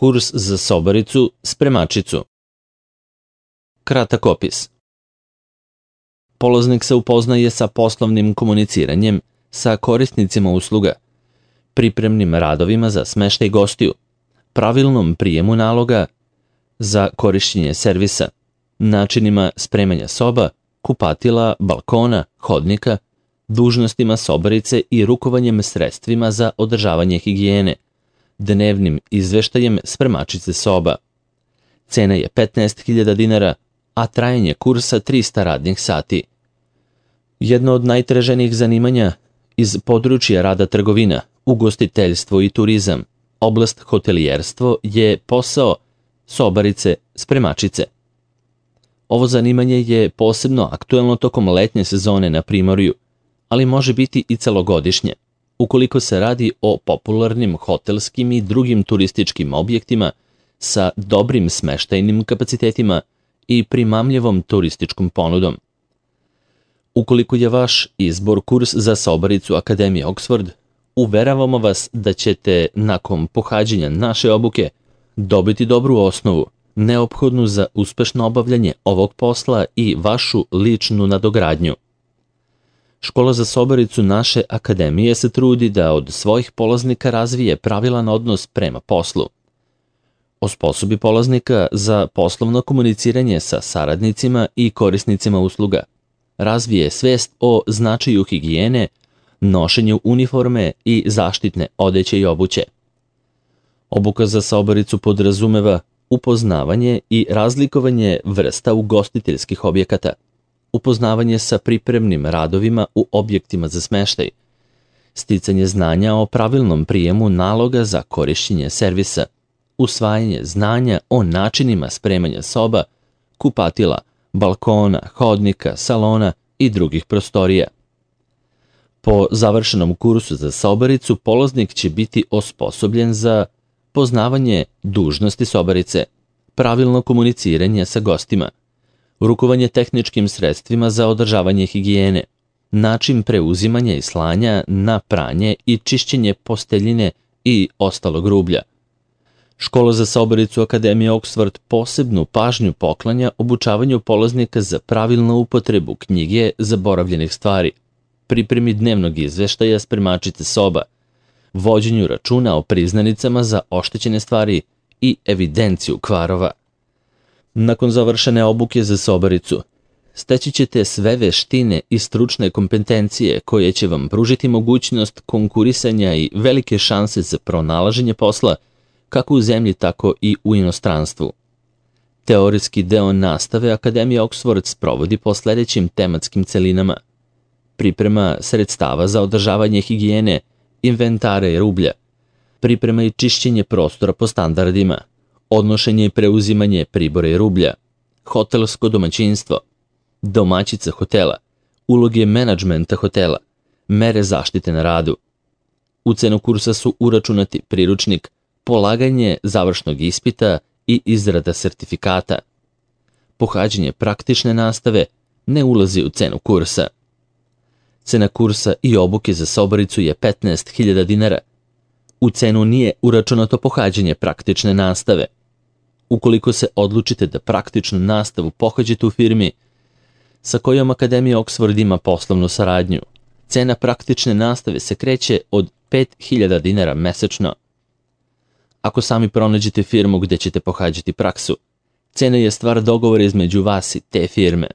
Kurs za sobaricu, spremačicu. Kratak opis. Polaznik se upoznaje sa poslovnim komuniciranjem, sa korisnicima usluga, pripremnim radovima za smeštaj gostiju, pravilnom prijemu naloga za korišćenje servisa, načinima spremanja soba, kupatila, balkona, hodnika, dužnostima sobarice i rukovanjem sredstvima za održavanje higijene, dnevnim izveštajem spremačice soba. Cena je 15.000 dinara, a trajanje kursa 300 radnih sati. Jedno od najtraženijih zanimanja iz područja rada trgovina, ugostiteljstvo i turizam, oblast hotelijerstvo je posao sobarice, spremačice. Ovo zanimanje je posebno aktuelno tokom letnje sezone na primorju, ali može biti i celogodišnje, ukoliko se radi o popularnim hotelskim i drugim turističkim objektima sa dobrim smeštajnim kapacitetima i primamljivom turističkom ponudom. Ukoliko je vaš izbor kurs za sobaricu Akademije Oxford, uveravamo vas da ćete nakon pohađanja naše obuke dobiti dobru osnovu, neophodnu za uspešno obavljanje ovog posla i vašu ličnu nadogradnju. Škola za sobaricu naše akademije se trudi da od svojih polaznika razvije pravilan odnos prema poslu. Osposobi polaznika za poslovno komuniciranje sa saradnicima i korisnicima usluga, razvije svest o značaju higijene, nošenju uniforme i zaštitne odeće i obuće. Obuka za sobaricu podrazumeva upoznavanje i razlikovanje vrsta ugostiteljskih objekata, upoznavanje sa pripremnim radovima u objektima za smeštaj, sticanje znanja o pravilnom prijemu naloga za korišćenje servisa, usvajanje znanja o načinima spremanja soba, kupatila, balkona, hodnika, salona i drugih prostorija. Po završenom kursu za sobaricu, polaznik će biti osposobljen za poznavanje dužnosti sobarice, pravilno komuniciranje sa gostima, rukovanje tehničkim sredstvima za održavanje higijene, način preuzimanja i slanja na pranje i čišćenje posteljine i ostalog rublja. Škola za sobaricu Akademije Oxford posebnu pažnju poklanja obučavanju polaznika za pravilnu upotrebu knjige zaboravljenih stvari, pripremi dnevnog izveštaja spremačice soba, vođenju računa o priznanicama za oštećene stvari i evidenciju kvarova. Nakon završene obuke za sobaricu, steći ćete sve veštine i stručne kompetencije koje će vam pružiti mogućnost konkurisanja i velike šanse za pronalaženje posla kako u zemlji, tako i u inostranstvu. Teorijski deo nastave Akademije Oxford sprovodi po sledećim tematskim celinama: priprema sredstava za održavanje higijene, inventara i rublja, priprema i čišćenje prostora po standardima, odnošenje i preuzimanje pribora i rublja, hotelsko domaćinstvo, domaćica hotela, uloge menadžmenta hotela, mere zaštite na radu. U cenu kursa su uračunati priručnik, polaganje završnog ispita i izrada sertifikata. Pohađanje praktične nastave ne ulazi u cenu kursa. Cena kursa i obuke za sobaricu je 15.000 dinara. U cenu nije uračunato pohađanje praktične nastave. Ukoliko se odlučite da praktičnu nastavu pohađate u firmi sa kojom Akademija Oxford ima poslovnu saradnju, cena praktične nastave se kreće od 5.000 dinara mesečno. Ako sami pronađete firmu gde ćete pohađati praksu, cena je stvar dogovora između vas i te firme.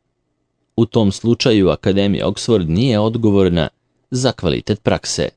U tom slučaju Akademija Oxford nije odgovorna za kvalitet prakse.